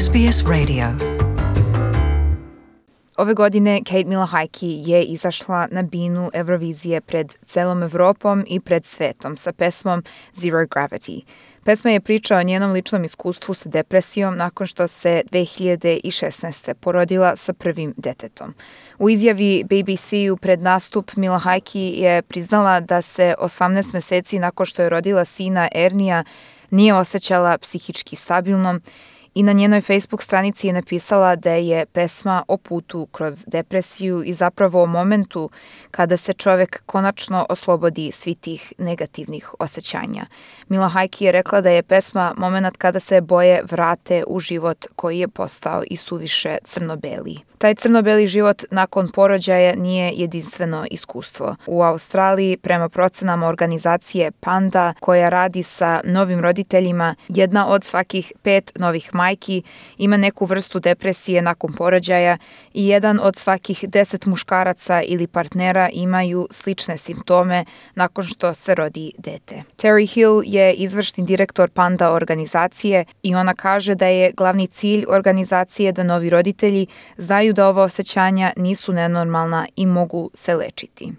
SBS Radio. Ove godine Kate Milahajki je izašla na binu Eurovizije pred celom Evropom i pred svetom sa pesmom Zero Gravity. Pesma je priča o njenom ličnom iskustvu sa depresijom nakon što se 2016. porodila sa prvim detetom. U izjavi BBC-u pred nastup Milahajki je priznala da se 18 meseci nakon što je rodila sina Ernija nije osjećala psihički stabilnom i na njenoj Facebook stranici je napisala da je pesma o putu kroz depresiju i zapravo o momentu kada se čovek konačno oslobodi svih tih negativnih osjećanja. Milahajki je rekla da je pesma moment kada se boje vrate u život koji je postao i suviše crno-beli. Taj crno-beli život nakon porođaja nije jedinstveno iskustvo. U Australiji, prema procenama organizacije Panda, koja radi sa novim roditeljima, jedna od svakih 5 novih majki ima neku vrstu depresije nakon porođaja i jedan od svakih 10 muškaraca ili partnera imaju slične simptome nakon što se rodi dete. Terry Hill je izvršni direktor Panda organizacije i ona kaže da je glavni cilj organizacije da novi roditelji znaju da ova osjećanja nisu nenormalna i mogu se lečiti.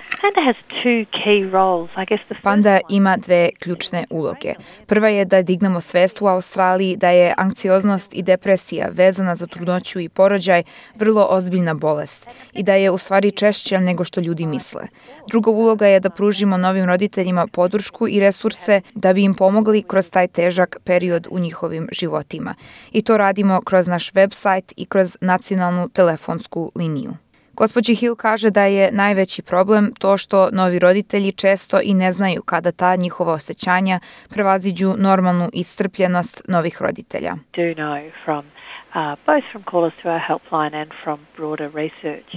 Panda ima 2 ključne uloge. Prva je da dignemo svest u Australiji da je anksioznost i depresija vezana za trudnoću i porođaj vrlo ozbiljna bolest i da je u stvari češća nego što ljudi misle. Druga uloga je da pružimo novim roditeljima podršku i resurse da bi im pomogli kroz taj težak period u njihovim životima. I to radimo kroz naš website i kroz nacionalnu telefonsku liniju. Gospođa Hill kaže da je najveći problem to što novi roditelji često i ne znaju kada ta njihova osjećanja prevaziđu normalnu iscrpljenost novih roditelja.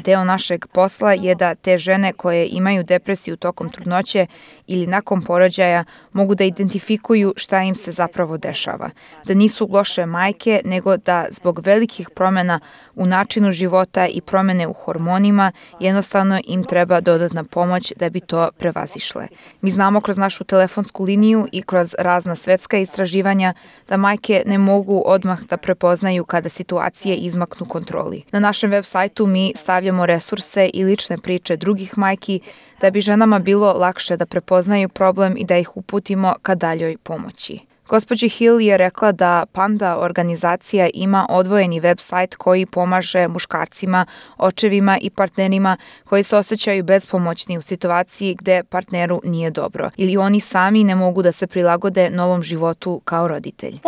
Deo našeg posla je da te žene koje imaju depresiju tokom trudnoće ili nakon porođaja mogu da identifikuju šta im se zapravo dešava. Da nisu loše majke, nego da zbog velikih promjena u načinu života i promjene u hormonima jednostavno im treba dodatna pomoć da bi to prevazišle. Mi znamo kroz našu telefonsku liniju i kroz razna svetska istraživanja da majke ne mogu odmah da prepoznaju kada situacije izmaknu kontroli. Na našem web sajtu mi stavljamo resurse i lične priče drugih majki da bi ženama bilo lakše da prepoznaju problem i da ih uputimo ka daljoj pomoći. Gospođa Hill je rekla da Panda organizacija ima odvojeni web sajt koji pomaže muškarcima, očevima i partnerima koji se osjećaju bespomoćni u situaciji gde partneru nije dobro ili oni sami ne mogu da se prilagode novom životu kao roditelj.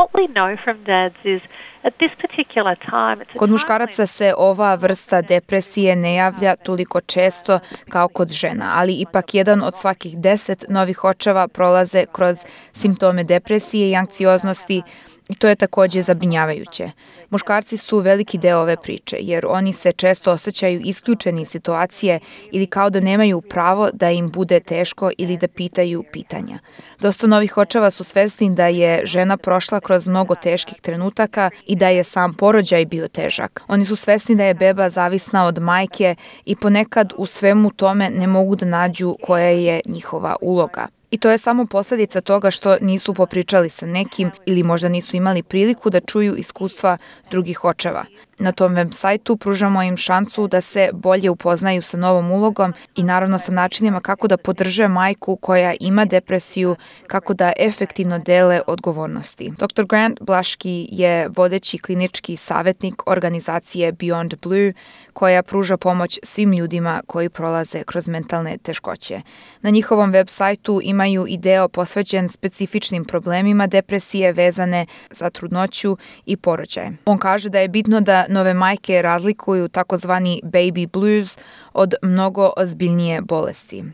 Kod muškaraca se ova vrsta depresije ne javlja toliko često kao kod žena, ali ipak jedan od svakih 10 novih očeva prolaze kroz simptome depresije i anksioznosti i to je također zabrinjavajuće. Muškarci su veliki deo ove priče jer oni se često osjećaju isključeni iz situacije ili kao da nemaju pravo da im bude teško ili da pitaju pitanja. Dosta novih očeva su svesni da je žena prošla kroz mnogo teških trenutaka i da je sam porođaj bio težak. Oni su svesni da je beba zavisna od majke i ponekad u svemu tome ne mogu da nađu koja je njihova uloga. I to je samo posljedica toga što nisu popričali sa nekim ili možda nisu imali priliku da čuju iskustva drugih očeva. Na tom web sajtu pružamo im šansu da se bolje upoznaju sa novom ulogom i naravno sa načinima kako da podrže majku koja ima depresiju, kako da efektivno dele odgovornosti. Dr. Grant Blaški je vodeći klinički savjetnik organizacije Beyond Blue koja pruža pomoć svim ljudima koji prolaze kroz mentalne teškoće. Na njihovom web sajtu imaju i deo posvećen specifičnim problemima depresije vezane za trudnoću i porođaj. On kaže da je bitno da nove majke razlikuju takozvani baby blues od mnogo ozbiljnije bolesti.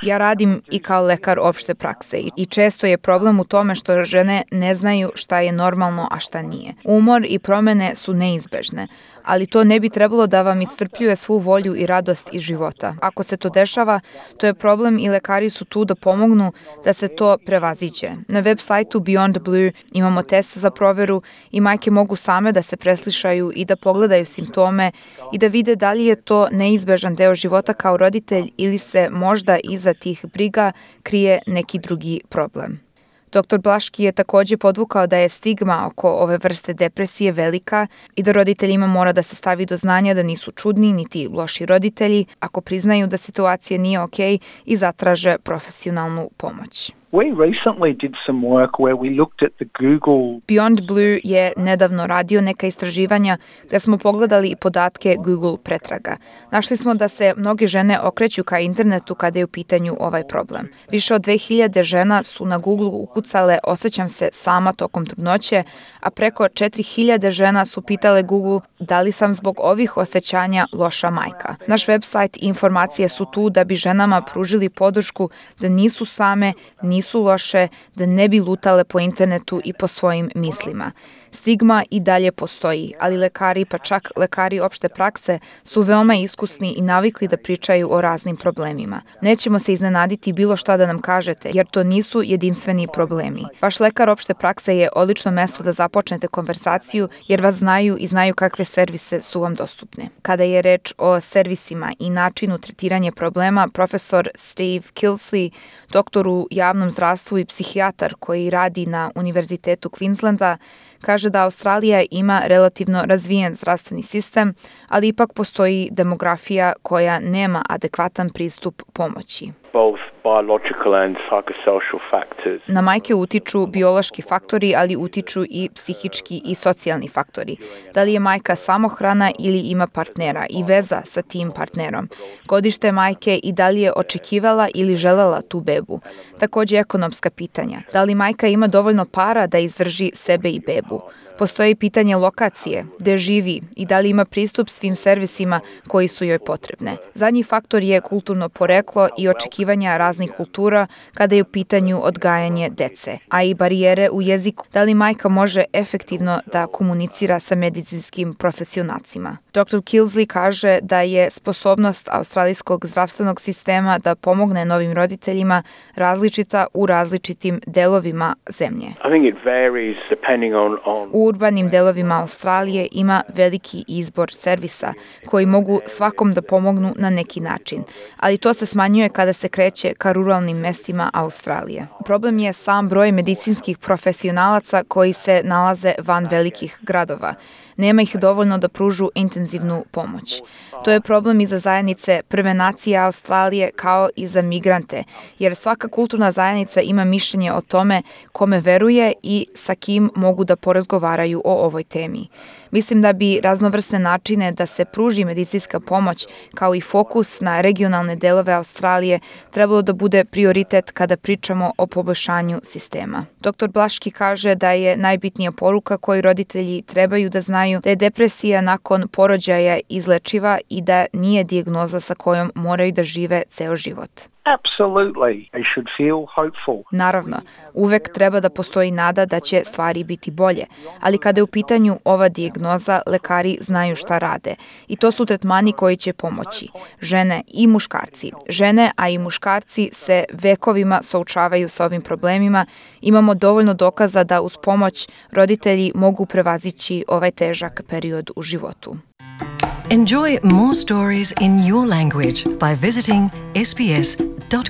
Ja radim i kao lekar opšte prakse i često je problem u tome što žene ne znaju šta je normalno, a šta nije. Umor i promjene su neizbežne, ali to ne bi trebalo da vam iscrpljuje svu volju i radost iz života. Ako se to dešava, to je problem i lekari su tu da pomognu da se to prevaziđe. Na web sajtu Beyond Blue imamo test za proveru i majke mogu same da se preslišaju i da pogledaju simptome i da vide da li je to neizbežan deo života kao roditelj ili se možda iza tih briga krije neki drugi problem. Dr. Blaški je također podvukao da je stigma oko ove vrste depresije velika i da roditeljima mora da se stavi do znanja da nisu čudni niti loši roditelji ako priznaju da situacija nije okej i zatraže profesionalnu pomoć. We recently did some work where we looked at the Google. Beyond Blue je nedavno radio neka istraživanja gdje smo pogledali i podatke Google pretraga. Našli smo da se mnoge žene okreću ka internetu kada je u pitanju ovaj problem. Više od 2000 žena su na Google ukucale osjećam se sama tokom trudnoće, a preko 4000 žena su pitale Google da li sam zbog ovih osjećanja loša majka. Naš website i informacije su tu da bi ženama pružili podršku da nisu same, nisu loše, da ne bi lutale po internetu i po svojim mislima. Stigma i dalje postoji, ali lekari, pa čak lekari opšte prakse, su veoma iskusni i navikli da pričaju o raznim problemima. Nećemo se iznenaditi bilo šta da nam kažete, jer to nisu jedinstveni problemi. Vaš lekar opšte prakse je odlično mesto da započnete konversaciju, jer vas znaju i znaju kakve servise su vam dostupne. Kada je reč o servisima i načinu tretiranja problema, profesor Steve Kilsley, doktor u javnom zdravstvu i psihijatar koji radi na Univerzitetu Queenslanda, kaže da Australija ima relativno razvijen zdravstveni sistem, ali ipak postoji demografija koja nema adekvatan pristup pomoći. Na majke utiču biološki faktori, ali utiču i psihički i socijalni faktori. Da li je majka samohrana ili ima partnera i veza sa tim partnerom. Godište majke i da li je očekivala ili želela tu bebu. Također ekonomska pitanja. Da li majka ima dovoljno para da izdrži sebe i bebu. Postoji pitanje lokacije, gde živi i da li ima pristup svim servisima koji su joj potrebne. Zadnji faktor je kulturno poreklo i očekivanja raznih kultura kada je u pitanju odgajanje dece, a i barijere u jeziku. Da li majka može efektivno da komunicira sa medicinskim profesionalcima? Dr. Kilsley kaže da je sposobnost australijskog zdravstvenog sistema da pomogne novim roditeljima različita u različitim delovima zemlje. U urbanim delovima Australije ima veliki izbor servisa koji mogu svakom da pomognu na neki način, ali to se smanjuje kada se kreće ka ruralnim mestima Australije. Problem je sam broj medicinskih profesionalaca koji se nalaze van velikih gradova. Nema ih dovoljno da pružu intenzivnu pomoć. To je problem i za zajednice Prve nacije Australije kao i za migrante, jer svaka kulturna zajednica ima mišljenje o tome kome veruje i sa kim mogu da porazgovaraju o ovoj temi. Mislim da bi raznovrsne načine da se pruži medicinska pomoć kao i fokus na regionalne delove Australije trebalo da bude prioritet kada pričamo o poboljšanju sistema. Dr. Blaški kaže da je najbitnija poruka koju roditelji trebaju da znaju da je depresija nakon porođaja izlečiva i da nije dijagnoza sa kojom moraju da žive ceo život. Absolutely, they should feel hopeful. Naravno, uvek treba da postoji nada da će stvari biti bolje, ali kada je u pitanju ova dijagnoza, lekari znaju šta rade i to su tretmani koji će pomoći. Žene i muškarci. Žene, a i muškarci se vekovima suočavaju sa ovim problemima. Imamo dovoljno dokaza da uz pomoć roditelji mogu prevazići ovaj težak period u životu. Enjoy more stories in your language by visiting sbs.com.au.